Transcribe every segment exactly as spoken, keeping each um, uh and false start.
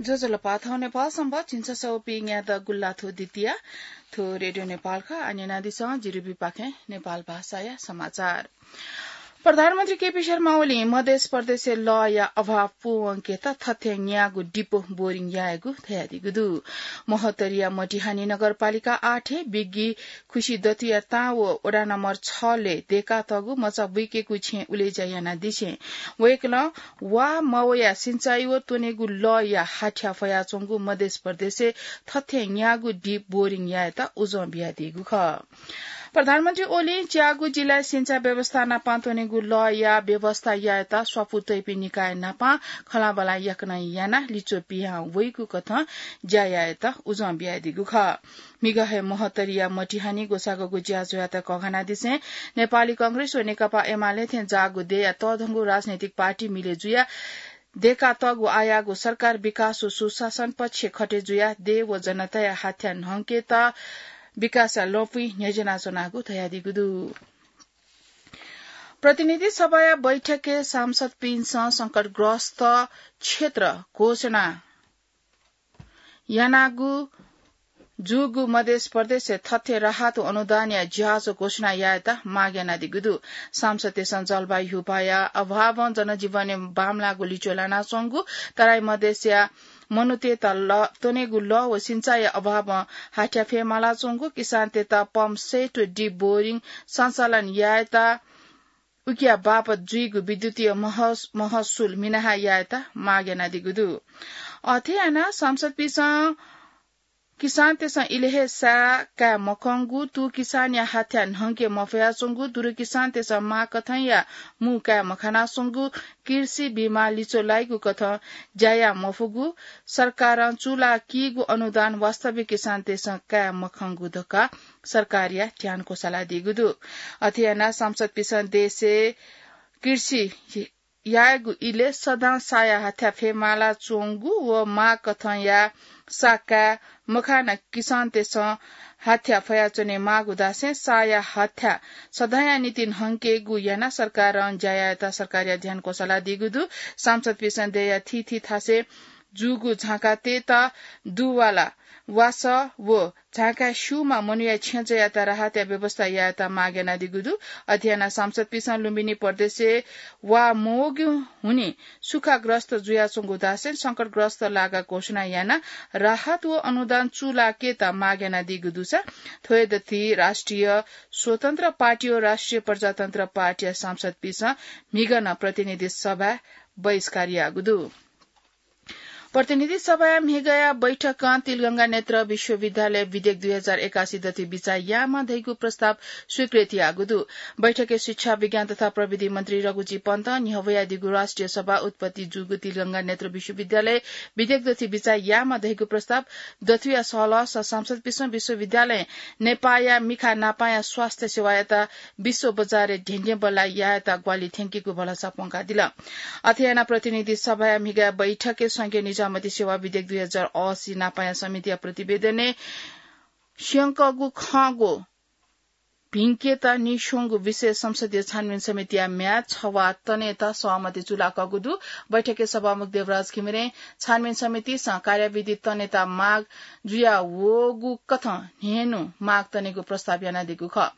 ज्वजलपा, थौं नेपाल संवत् झिंछसः व पीन्यादँ गुल्लाथ्व द्वितीया। थ्व रेडियो नेपाल खः। आः न्यनादिसँ जिरिबीपाखें नेपाल भाषाया समाचार। प्रधानमन्त्री केपी शर्मा ओलीं मधेस प्रदेशय् लःया अभाव पूवंकेत थथे न्यागू deep boring यायेगु धयादीगु दु। महोत्तरीया मटिहानी नगरपालिका आठय् बिग्गी खुसी दथुया तां व वडा नम्बर छलय् दय्कातःगु मचा बुइकेगु छेँ उलेज्या यानादिसें वय्कलं वा मवया सिंचाइ व त्वनेगु लःया हाथ्या फयाच्वंगु मधेस प्रदेशय् थथे न्यागू deep boring यायेत उजं बियादीगु खः। प्रधानमन्त्री ओलीं च्यागू जिल्लाय् सिंचाइ व्यवस्था नाप त्वनेगु लःया व्यवस्था यायेत स्वापू तइपिं निकाय नाप खँल्हाबल्हा याकनं यानाः लिच्वः पिहां वइगु कथं ज्या यायेत उजं बियादीगु खः। म्हिगः हे महोत्तरीया मटिहानी ग्वसाःगु ज्याझ्वःयात कःघानादिसें नेपाली कांग्रेस व नेकपा एमाले थें जाःगु देय्या तःधंगु राजनैतिक पार्टी मिले जुयाः दय्कातःगु आःयाःगु सरकार विकास व सुशासन पक्ष खटे जुयाः देय् व जनताया हाथ्या न्हंकेत विकासया लँपुइ न्ह्यज्यानाच्वनागु धयादीगु दु। प्रतिनिधि सभाया बैठकय् सांसदपिन्सं संकटग्रस्त क्षेत्र घोषणा यानागु जूगु मधेस प्रदेशय् थथे राहत व अनुदानया ज्याझ्वः घोषणा यायेत माग यानादीगु दु। सांसदतय्सं जलवायु ह्युपाया अभावं जनजीवनय् बांमलाःगु लिच्वः लानाच्वंगु, तराई मधेसया मनूतय्त ल-, त्वनेगु लः व सिंचाइया अभावं हाथ्या फयेमालाच्वंगु, किसानतय्त pump set व deep boring सञ्चालन यायेत उकिया बापत जुइगु विद्युतीय महस-, महसुल मिनाहा यायेत माग यानादीगु दु। अथे यानाः सांसदपिन्सं किसानतय्सं इलय् हे सा काये मखंगु, तू किसानया हाथ्या न्हंके मफयाच्वंगु, दुरु किसानतय्सं माग कथंया मू काये मखनाच्वंगु, कृषि बीमा लिच्वः लाइगु कथं ज्या याये मफुगु, सरकारं चूलाकीगु अनुदान वास्तविक किसानतय्सं काये मखंगु धकाः सरकारया ध्यान क्वसालादीगु दु। अथे यानाः सांसदपिन्सं देशय् कृषि यायेगु इलय् सदां साया हाथ्या फयेमालाच्वंगु व माग कथंया सा काये मखनाः किसानतय्सं हाथ्या फयाच्वने माःगु धासें साया हाथ्या सदांया निंतिं न्हंकेगु यानाः सरकारं ज्या यायेत सरकारया ध्यान क्वसालादीगु दु। सांसदपिन्सं देय्या थीथी थासय् जूगु झाँकातय्त दुवाला वासः व झाँकाय् स्यूम्ह मनूया छेँजःयात राहतया व्यवस्था यायेत माग यानादीगु दु। अथे यानाः सांसदपिन्सं लुम्बिनी प्रदेशय् वा मवःगु हुनिं सुखाग्रस्त जुयाच्वंगु धासें संकटग्रस्त लागा घोषणा यानाः राहत व अनुदान चूलाकेत माग यानादीगु दुसा थ्व हे दथुइ राष्ट्रिय स्वतन्त्र पार्टी व राष्ट्रिय प्रजातन्त्र पार्टीया सांसदपिन्सं म्हिगः नं प्रतिनिधि सभा बहिष्कार याःगु दु। प्रतिनिधि सभाया म्हिगःया बैठकं तिलगंगा नेत्र विश्वविद्यालय विधेयक दुई हजार एकासी दथुइ बिचाः यायेमाः धइगु प्रस्ताव स्वीकृत याःगु दु। बैठकय् शिक्षा, विज्ञान तथा प्रविधि मन्त्री रघुजी पन्तं न्ह्यब्वयादीगु राष्ट्रिय सभा उत्पत्ति जूगु तिलगंगा नेत्र विश्वविद्यालय विधेयक दथुइ बिचाः यायेमाः धइगु प्रस्ताव दथुया सहलहसं सांसदपिन्सं विश्वविद्यालयं नेपाःया मिखा नापांया स्वास्थ्य सेवायात विश्व बजारय् धेंधेंबल्लाः यायेत ग्वाहालि थ्यंकीगु भलसा प्वंकादिल। अथे यानाः प्रतिनिधि सभाया म्हिगःया बैठकय् संघीय निजामती सेवा विधेयक दुई हजार असी नापांया समितिया प्रतिवेदनय् स्यंकःगु खँग्वः भिंकेत नीस्वंगु विशेष संसदीय छानबिन समितिया म्याद छवाः तनेत सहमति चूलाकःगु दु। बैठकय् सभामुख देवराज घिमिरें छानबिन समितिसं कार्यविधि तनेत माग जुयावःगु कथं न्हय्न्हु माग तनेगु प्रस्ताव यानादीगु खः।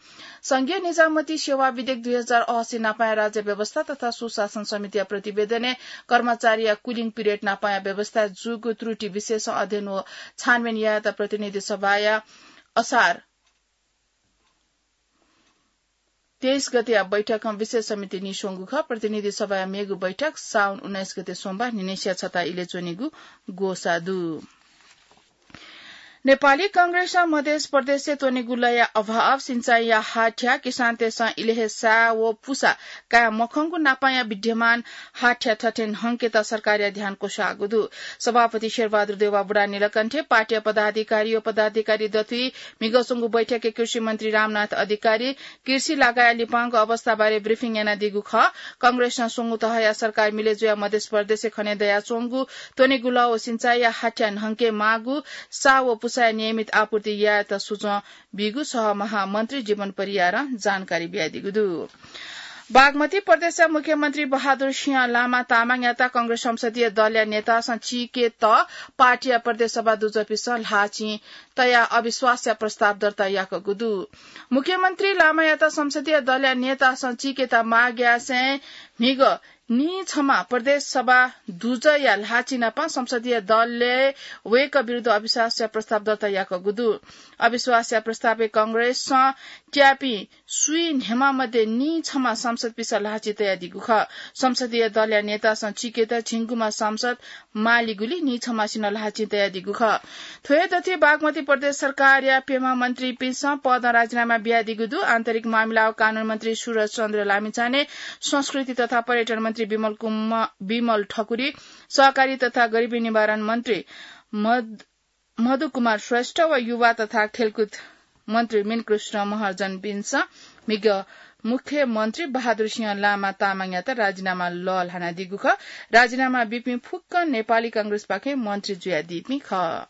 संघीय निजामती सेवा विधेयक दुई हजार असी नापांया राज्य व्यवस्था तथा सुशासन समितिया प्रतिवेदनय् कर्मचारीया cooling period नापांया व्यवस्थाय् जूगु त्रुटि विषयसं अध्ययन व छानबिन यायेत प्रतिनिधि सभाया असार तेइस गतेया बैठकं विशेष समिति नीस्वंगु खः। प्रतिनिधि सभाया मेगु बैठक साउन उन्नाइस गते सोमबार न्हिनय्सिया छता इलय् च्वनेगु ग्वसाः दु। नेपाली कांग्रेसं मधेस प्रदेशय् त्वनेगु लःया अभाव, सिंचाइया हाथ्या, किसानतय्सं इलय् हे सा व पुसा काये मखंगु नापांया विद्यमान हाथ्या थथे न्हंकेत सरकारया ध्यान क्वसाःगु दु। सभापति शेरबहादुर देउवा बुढानीलकण्ठय् पार्टीया पदाधिकारी व पदाधिकारी दथुइ म्हिगः च्वंगु बैठकय् कृषि मन्त्री रामनाथ अधिकारी कृषि लागाया लिपांगु अवस्थाबारे briefing यानादीगु खः। कांग्रेसं स्वंगू तहया सरकार मिले जुयाः मधेस प्रदेशय् खने दयाच्वंगु त्वनेगु लः व सिंचाइया हाथ्या न्हंके माःगु, सा व पुसाया नियमित आपूर्ति यायेत सुचं बीगु सह महामन्त्री जीवन परियारं जानकारी बियादीगु दु। बागमती प्रदेशया मुख्यमन्त्री बहादुर सिंह लामा तामाङयात कांग्रेस संसदीय दलया नेतासं चीकेत पार्टीया प्रदेश सभा दुजःपिसं ल्हाःचिं तयाः अविश्वासया प्रस्ताव दर्ता याकूगु दु। मुख्यमन्त्री लामायात संसदीय दलया नेतासं चीकेत माग यासें म्हिगः नीछम्ह प्रदेश सभा दुजःया ल्हाःचिं नाप संसदीय दलय् वय्कः विरुद्ध अविश्वासया प्रस्ताव दर्ता याकूगु दु। अविश्वासया प्रस्तावय् कांग्रेसं त्याःपिं स्वीन्हय्मा मध्ये नीछम्ह सांसदपिसं ल्हाःचिं तयादीगु खः। संसदीय दलया नेतासं चीकेत झिंगुम्ह सांसद मालीगुलिं नीछम्हसिनं ल्हाःचिं तयादीगु खः। थ्व हे दथुइ बागमती प्रदेश सरकारया प्यम्ह मन्त्रीपिसं पदं राजीनामा बियादीगु दु। आन्तरिक मामिला व कानून मन्त्री सुरज चन्द्र लामिछाने, संस्कृति तथा पर्यटन मन्त्री विमल कुम-, विमल ठकुरी, सहकारी तथा गरिबी निवारण मन्त्री मध-, मधु कुमार श्रेष्ठ व युवा तथा खेलकुद मन्त्री मिनकृष्ण महर्जनपिन्सं म्हिगः मुख्यमन्त्री बहादुर सिंह लामा तामाङयात राजीनामा लःल्हानादीगु खः। राजीनामा बीपिं फुक्कं नेपाली कांग्रेसपाखें मन्त्री जुयादीपिं खः।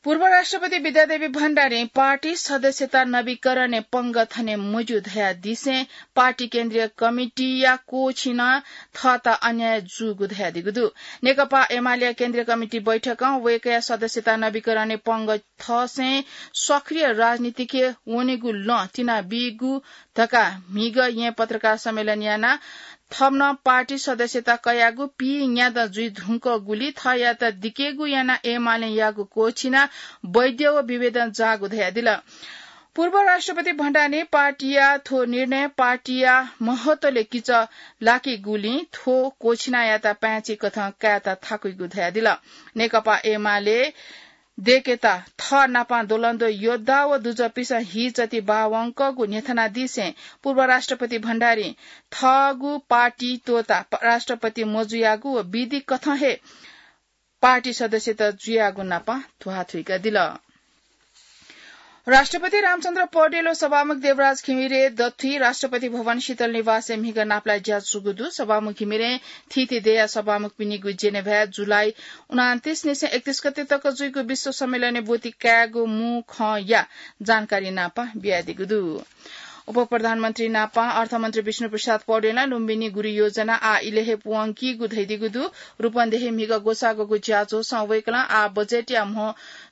पूर्व राष्ट्रपति विद्यादेवी भण्डारीं पार्टी सदस्यता नवीकरणय् पंगः थने मज्यू धयादिसें पार्टी केन्द्रीय कमिटीया कोःछिनं थःत अन्याय जूगु धयादीगु दु। नेकपा एमालेया केन्द्रीय कमिटी बैठकं वय्कःया सदस्यता नवीकरणय् पंगः थसें सक्रिय राजनीतिके वनेगु लँ तिनाबीगु धकाः म्हिगः येँ पत्रकार सम्मेलन यानाः थःम्हं पार्टी सदस्यता कयागु पीन्यादँ जुइ धुंकूगुलिं थःयात दिकेगु यानाः एमालें याःगु कोःछिनाः बैद्य व विभेदन जाःगु धयादिल। पूर्व राष्ट्रपति भण्डारीं पार्टीया थ्व निर्णय पार्टीया महत्वले किचः लाकीगुलिं थ्व कोःछिनायात पाय्छि कथं कायेत थाकुइगु धयादिल। नेकपा एमाले दय्केत थः नाप द्वलंद्वः योद्धा व दुजःपिसं हीचति बाः वंकःगु न्ह्यथनादिसें पूर्व राष्ट्रपति भण्डारीं थःगु पार्टी त्वःताः राष्ट्रपति मजुयागु व विधि कथं हे पार्टी सदस्यता जुयागु नाप ध्वाथुइकादिल। राष्ट्रपति रामचन्द्र पौडेल व सभामुख देवराज घिमिरे दथुइ राष्ट्रपति भवन शीतल निवासय् म्हिगः नापलाये ज्याझ्वःगु दु। सभामुख घिमिरें थीथी देय्या सभामुखपिनिगु जेनेभाय् जुलाई उनान्तीस निसें एकतीस गते तक जुइगु विश्व सम्मेलनय् ब्वति कायेगु मू खँया जानकारी नाप बियादीगु दु। उपप्रधानमन्त्री नाप अर्थमन्त्री विष्णुप्रसाद पौडेलं लुम्बिनी गुरि योजना आः इलय् हे पूवंकीगु धयादीगु दु। रूपन्देही म्हिगः ग्वसाःग्वःगु ज्याझ्वलय् वय्कलं आः बजेटया म्हो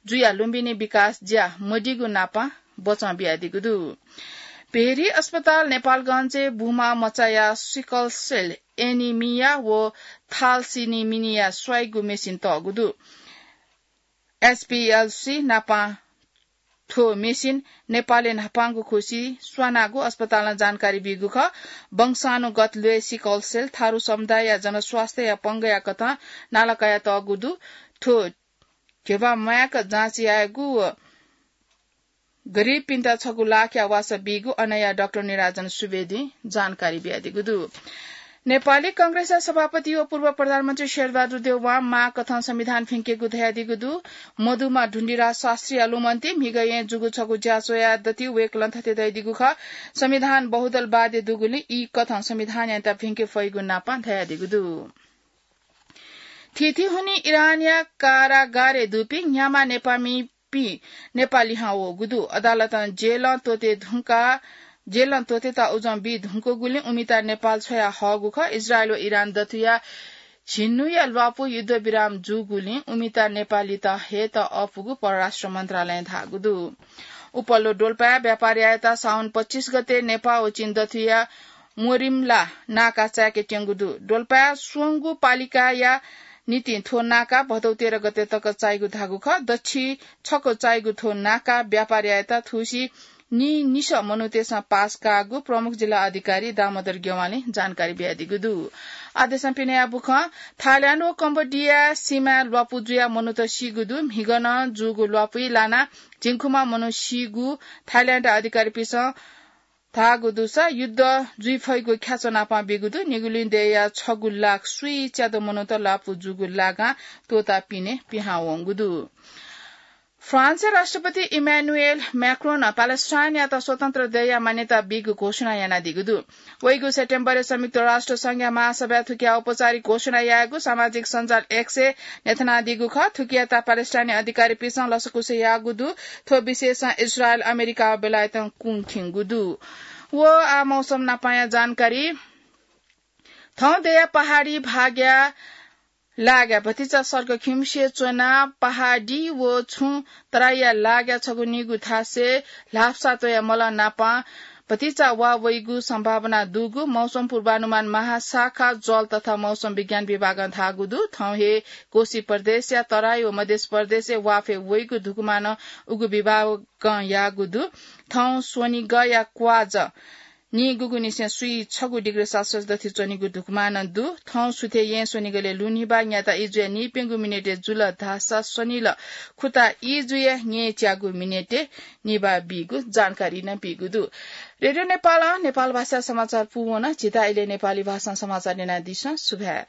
जुयाः लुम्बिनी विकास ज्या मदीगु नाप बचं बियादीगु दु। भेरी अस्पताल नेपालगञ्जय् बुमा मचाया सिकल सेल एनिमिया व थालसिनिमिनिया स्वाइगु मेसिन तःगु दु। एचपीएलसी नाप थ्व मेसिन नेपालय् न्हापांगु खुसि स्वानागु अस्पतालं जानकारी बीगु खः। वंशानुगत ल्वय् सिकल सेल थारु समुदायया जनस्वास्थ्यया पंगःया कथं नाला कयातःगु दु। थ्व घेवा म्वाय्क जाँच यायेगु व गरिबपिन्त छगू लाखया वासः बीगु अनया डाक्टर निराजन सुवेदीं जानकारी बियादीगु दु। नेपाली कांग्रेसया सभापति व पूर्व प्रधानमन्त्री शेरबहादुर देउवां माःकथं संविधान भिंकेगु धयादीगु दु। मदुम्ह ढुण्डिराज शास्त्रीया लुमन्ति म्हिगः येँ जूगु छगू ज्याझ्वःया दथुइ वय्कलं थथे धयादीगु खः, संविधान बहुदलवादी दुगुलिं ई कथं संविधानयात भिंके फइगु नाप धयादीगु दु। थीथी हुनिं इरानया कारागारय् दुपिं न्ह्याम्ह नेपाःमि पिं नेपाः लिहां वःगु दु। अदालतं जेलं त्वःते धुंकाः, जेलं त्वःतेत उजं बी धुंकूगुलिं उमित नेपाल छ्वया हःगु खः। इजरायल व इरान दथुया झिन्हुया ल्वापु युद्धविराम जूगुलिं उमित नेपाः लित हयेत अःपुगु परराष्ट्र मन्त्रालयं धाःगु दु। उपल्लो डोल्पाय् व्यापार यायेत साउन पच्चिस गते नेपाः व चीन दथुया मोरिमला नाका चाय्केत्यंगु दु। डोल्पाय् स्वंगू पालिकाया निंतिं थ्व नाका भदौ तेह्र गते तक चाइगु धाःगु खः। दच्छि छक्व चाइगु थ्व नाका व्यापार यायेत थुसी नीनिसः मनूतय्सं पास काःगु प्रमुख जिल्ला अधिकारी दामोदर गेवालीं जानकारी बियादीगु दु। आदेशं पिने याःगु खः। थाइल्याण्ड व कम्बोडिया सीमाय् ल्वापु जुयाः मनूत सीगु दु। म्हिगः नं जूगु ल्वापुइ लानाः झिंखुम्ह मनू सीगु थाइल्याण्ड अधिकारीपिन्सं धाःगु दुसा युद्ध जुइ फइगु ख्याच्वः नापं बीगु दु। निगुलिं देय्या छगू लाख स्वीच्यादँ मनूत ल्वापु जूगु लागां त्वःताः पिने पिहां वंगु दु। फ्रान्सया राष्ट्रपति इमानुएल म्याक्रोनं प्यालेस्टाइनयात स्वतन्त्र देय्या मान्यता बीगु घोषणा यानादीगु दु। वइगु सेप्टेम्बरय् संयुक्त राष्ट्र संघया महासभाय् थुकिया औपचारिक घोषणा यायेगु सामाजिक सञ्जाल एक्सय् न्ह्यथनादीगु खः। थुकियात प्यालेस्टाइनी अधिकारीपिन्सं लसकुस याःगु दु। थ्व विषयसं इजरायल, अमेरिका व बेलायतं कुंखिंगु दु। व आ मौसम नापाया जानकारी। थौं दया पहाडी भागया लागा भतिचा सर्ग खिम्से च्वना पहाडी व छुं तराईया लागा छगू निगू थासे ल्हापसा त्वया मल नापा भतिचा वा वइगु सम्भावना दुगु मौसम पूर्वानुमान महाशाखा जल तथा मौसम विज्ञान विभागं धाःगु दु। थौं हे कोशी प्रदेशया तराई व मध्य प्रदेशय् वाफे वइगु धुकुमानं उगु विभागं याःगु दु। थौं स्वनिगया क्वाज निगुगुनिसें स्वीछगू डिग्री सेल्सियस दथि च्वनीगु धुकुमानं दु। थौं सुथे यें स्वनिगलय् लुनिबा न्याता इजुया निपेंगु मिनेटय् जुल धाःसा स्वनिल खुता इजुया न्येच्यागु मिनेटय् निबा बीगु जानकारी नं बीगु दु। रेडियो नेपालं नेपाल भाषा समाचार पूवन। झीत इलय् नेपाली भाषां समाचार न्यनादिसँ। सुभाय्।